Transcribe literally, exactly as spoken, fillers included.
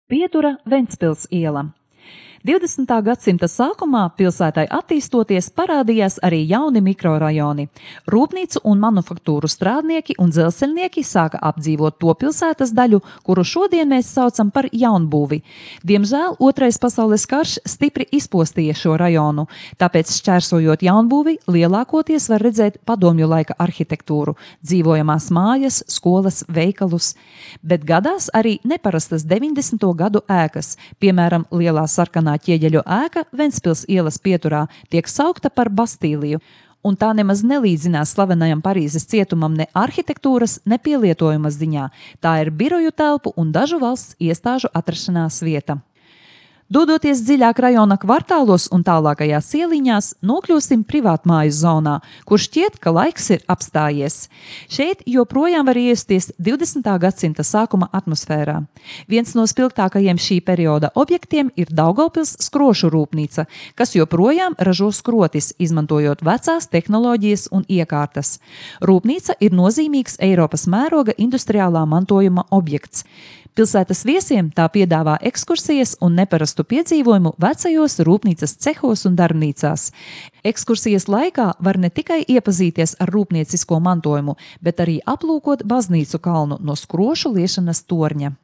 Pietura Ventspils iela. divdesmitā gadsimta sākumā pilsētai attīstoties parādījās arī jauni mikrorajoni. Rūpnīcu un manufaktūru strādnieki un dzelzceļnieki sāka apdzīvot to pilsētas daļu, kuru šodien mēs saucam par jaunbūvi. Diemžēl Otrais pasaules karš stipri izpostīja šo rajonu, tāpēc šķērsojot jaunbūvi lielākoties var redzēt padomju laika arhitektūru, dzīvojamās mājas, skolas, veikalus. Bet gadās arī neparastas deviņdesmito gadu ēkas, piemēram, lielā sarkanā ķieģeļu ēka Ventspils ielas pieturā tiek saukta par Bastīliju, un tā nemaz nelīdzinās slavenajam Parīzes cietumam ne arhitektūras, ne pielietojumas ziņā. Tā ir biroju telpu un dažu valsts iestāžu atrašanās vieta. Dodoties dziļāk rajona kvartālos un tālākajās ieliņās, nokļūsim privātmāju zonā, kur šķiet, ka laiks ir apstājies. Šeit joprojām var iesties divdesmitā gadsimta sākuma atmosfērā. Viens no spilgtākajiem šī perioda objektiem ir Daugavpils skrošu rūpnīca, kas joprojām ražo skrotis, izmantojot vecās tehnoloģijas un iekārtas. Rūpnīca ir nozīmīgs Eiropas mēroga industriālā mantojuma objekts. Pilsētas viesiem tā piedāvā ekskursijas un neparastu piedzīvojumu vecajos rūpnīcas cehos un darbnīcās. Ekskursijas laikā var ne tikai iepazīties ar rūpniecisko mantojumu, bet arī aplūkot baznīcu kalnu no skrošu liešanas torņa.